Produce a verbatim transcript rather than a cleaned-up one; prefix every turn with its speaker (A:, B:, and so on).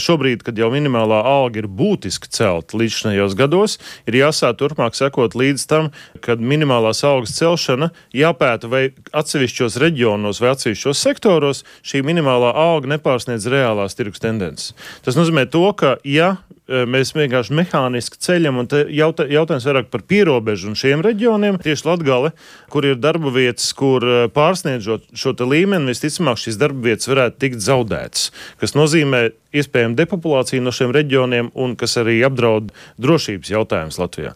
A: šobrīd, kad jau minimālā alga ir būtiski celta līdzinājos gados, ir jāsāk turpmāk sekot līdz tam, kad minimālās algas celšana jāpēta vai atsevišķos reģionos vai atsevišķos sektoros šī minimālā alga nepārsniedz reālās tirgus tendences. Tas nozīmē to, ka ja mēs vienkārši mehāniski ceļam, un jautā, jautājums vairāk par pierobežu un šiem reģioniem, tieši Latgale, kur ir darba vietas, kur pārsniedzot šo te līmeni, visticamāk šīs darba vietas varētu tikt zaudētas, kas nozīmē iespējami depopulāciju no šiem reģioniem un kas arī apdraud drošības jautājumus Latvijā.